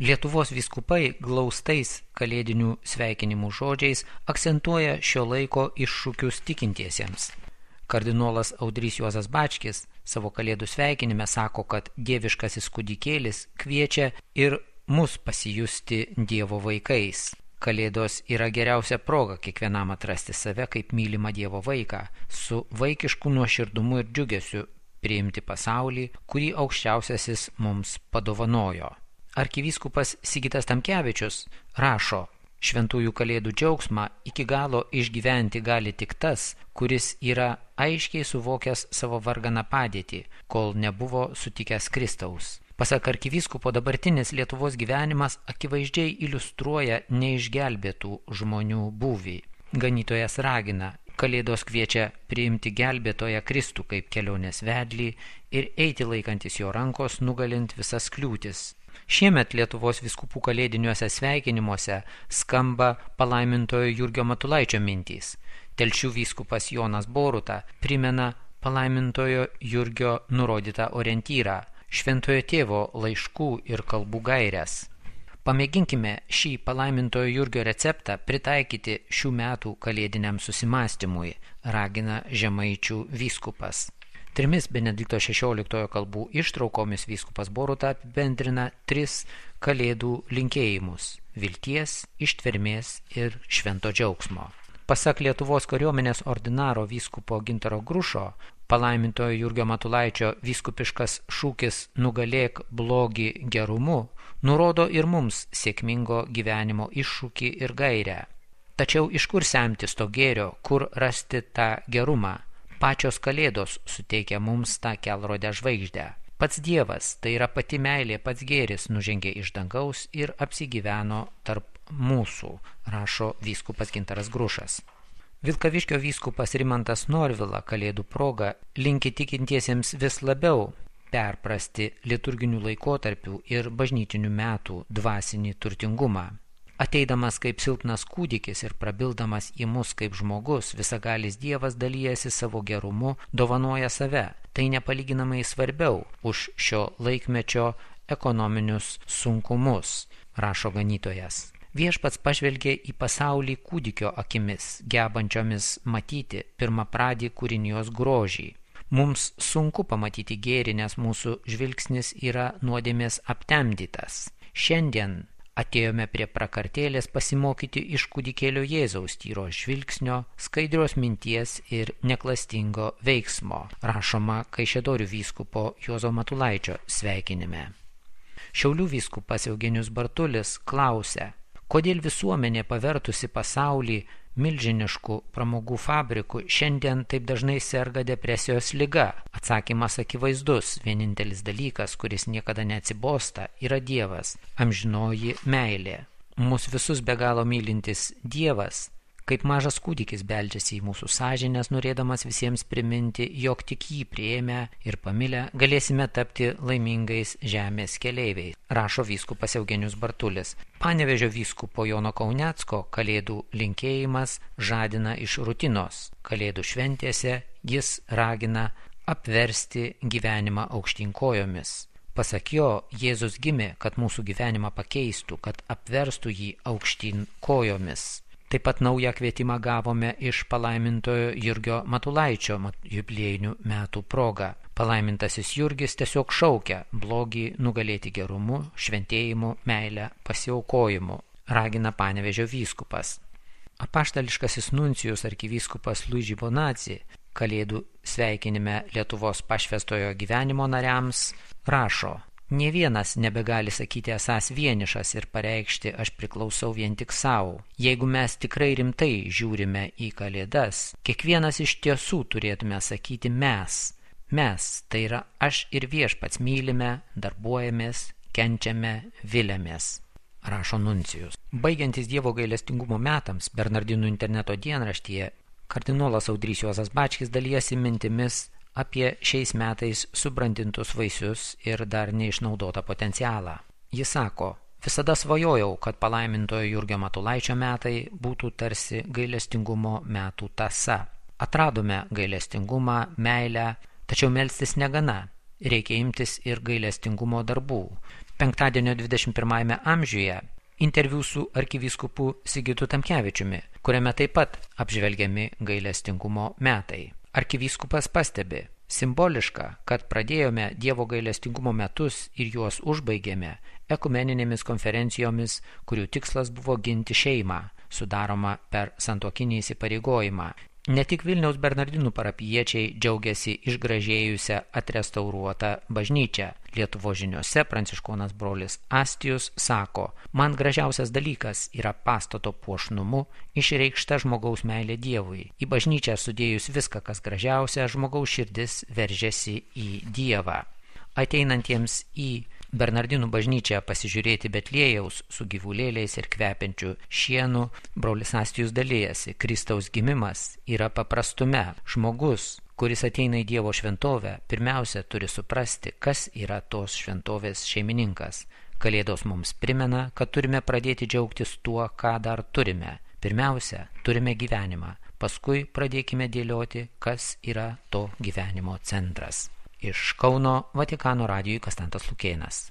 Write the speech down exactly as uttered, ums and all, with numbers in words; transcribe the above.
Lietuvos vyskupai glaustais kalėdinių sveikinimų žodžiais akcentuoja šio laiko iššūkius tikintiesiems. Kardinolas Audrys Juozas Bačkis savo kalėdų sveikinime sako, kad dieviškasis kūdikėlis kviečia ir mus pasijusti Dievo vaikais. Kalėdos yra geriausia proga kiekvienam atrasti save kaip mylimą Dievo vaiką, su vaikišku nuoširdumu ir džiugesiu priimti pasaulį, kurį aukščiausiasis mums padovanojo. Arkivyskupas Sigitas Tamkevičius rašo, šventųjų kalėdų džiaugsmą iki galo išgyventi gali tik tas, kuris yra aiškiai suvokęs savo varganą padėtį, kol nebuvo sutikęs Kristaus. Pasak arkivyskupo, dabartinis Lietuvos gyvenimas akivaizdžiai iliustruoja neišgelbėtų žmonių būvį. Ganytojas ragina, kalėdos kviečia priimti gelbėtoją Kristų kaip kelionės vedlį ir eiti laikantis jo rankos, nugalint visas kliūtis. Šiemet Lietuvos vyskupų kalėdiniuose sveikinimuose skamba palaimintojo Jurgio Matulaičio mintys. Telšių vyskupas Jonas Boruta primena palaimintojo Jurgio nurodytą orientyrą, šventojo tėvo laiškų ir kalbų gaires. Pamėginkime šį palaimintojo Jurgio receptą pritaikyti šių metų kalėdiniam susimastymui, ragina Žemaičių vyskupas. Trimis Benedikto šešioliktojo kalbų ištraukomis vyskupas Boruta apibendrina tris kalėdų linkėjimus – vilties, ištvermės ir švento džiaugsmo. Pasak Lietuvos kariuomenės ordinaro vyskupo Gintaro Grušo, palaimintojo Jurgio Matulaičio vyskupiškas šūkis nugalėk blogį gerumu nurodo ir mums sėkmingo gyvenimo iššūkį ir gairę. Tačiau iš kur semtis to gėrio, kur rasti tą gerumą? Pačios kalėdos suteikia mums tą kelrodę žvaigždę. Pats Dievas, tai yra pati meilė, pats gėris, nužengė iš dangaus ir apsigyveno tarp mūsų, rašo vyskupas Gintaras Grušas. Vilkaviškio vyskupas Rimantas Norvila kalėdų proga linki tikintiesiems vis labiau perprasti liturginių laikotarpių ir bažnytinių metų dvasinį turtingumą. Ateidamas kaip silpnas kūdikis ir prabildamas į mus kaip žmogus, visagalis Dievas dalyjasi savo gerumu, dovanoja save. Tai nepalyginamai svarbiau už šio laikmečio ekonominius sunkumus, rašo ganytojas. Viešpats pažvelgė į pasaulį kūdikio akimis, gebančiomis matyti pirmapradį kūrinijos grožį. Mums sunku pamatyti gėrį, nes mūsų žvilgsnis yra nuodėmės aptemdytas. Šiandien atėjome prie prakartėlės pasimokyti iš kūdikėlio Jėzaus tyro žvilgsnio, skaidrios minties ir neklastingo veiksmo, rašoma Kaišiadorių vyskupo Juozo Matulaičio sveikinime. Šiaulių vyskupas Eugenijus Bartulis klausia, kodėl visuomenė pavertusi pasaulį milžiniškų pramogų fabrikų šiandien taip dažnai serga depresijos liga. Atsakymas akivaizdus, vienintelis dalykas, kuris niekada neatsibosta, yra Dievas, amžinoji meilė. Mūsų visus be galo mylintis Dievas, kaip mažas kūdikis beldžiasi į mūsų sąžinės, norėdamas visiems priminti, jog tik jį priėmę ir pamilę galėsime tapti laimingais žemės keleiviais, rašo vyskupas Eugenijus Bartulis. Panevėžio vyskupo Jono Kaunecko kalėdų linkėjimas žadina iš rutinos. Kalėdų šventėse jis ragina apversti gyvenimą aukštyn kojomis. Pasak jo, Jėzus gimė, kad mūsų gyvenimą pakeistų, kad apverstų jį aukštyn kojomis. Taip pat naują kvietimą gavome iš palaimintojo Jurgio Matulaičio jubiliejinių metų proga. Palaimintasis Jurgis tiesiog šaukia blogį nugalėti gerumu, šventėjimu, meilę, pasiaukojimu, ragina Panevėžio vyskupas. Apaštališkasis nuncijus arkivyskupas Luigi Bonazzi kalėdų sveikinime Lietuvos pašvęstojo gyvenimo nariams rašo, nė vienas nebegali sakyti esąs vienišas ir pareikšti aš priklausau vien tik savo. Jeigu mes tikrai rimtai žiūrime į kalėdas, kiekvienas iš tiesų turėtume sakyti mes. Mes, tai yra aš ir viešpats mylime, darbuojamės, kenčiame, viliamės, rašo nuncijus. Baigiantis Dievo gailestingumo metams, Bernardinų interneto dienraštyje, kardinolas Audrys Juozas Bačkis dalijasi mintimis apie šiais metais subrandintus vaisius ir dar neišnaudotą potencialą. Jis sako, visada svajojau, kad palaimintojo Jurgio Matulaičio metai būtų tarsi gailestingumo metų tąsa. Atradome gailestingumą, meilę, tačiau melstis negana. reikia imtis ir gailestingumo darbų. Penktadienio dvidešimt pirmajame amžiuje interviu su arkivyskupu Sigitu Tamkevičiumi, kuriame taip pat apžvelgiami gailestingumo metai. Arkivyskupas pastebi, simboliška, kad pradėjome Dievo gailestingumo metus ir juos užbaigėme ekumeninėmis konferencijomis, kurių tikslas buvo ginti šeimą, sudaroma per santuokinį įsipareigojimą. Ne tik Vilniaus Bernardinų parapijiečiai džiaugiasi išgražėjusią atrestauruotą bažnyčią. Lietuvos žiniose pranciškonas brolis Astijus sako, man gražiausias dalykas yra pastato puošnumu išreikšta žmogaus meilė Dievui. Į bažnyčią sudėjus viską, kas gražiausia, žmogaus širdis veržiasi į Dievą. Ateinantiems į Bernardinų bažnyčią pasižiūrėti Betliejaus su gyvulėliais ir kvepiančiu šienu, brolis Astijus dalijasi, Kristaus gimimas yra paprastume. Žmogus, kuris ateina į Dievo šventovę, pirmiausia turi suprasti, kas yra tos šventovės šeimininkas. Kalėdos mums primena, kad turime pradėti džiaugtis tuo, ką dar turime. Pirmiausia, turime gyvenimą, paskui pradėkime dėlioti, kas yra to gyvenimo centras. Iš Kauno Vatikano radijui Konstantas Lukėnas.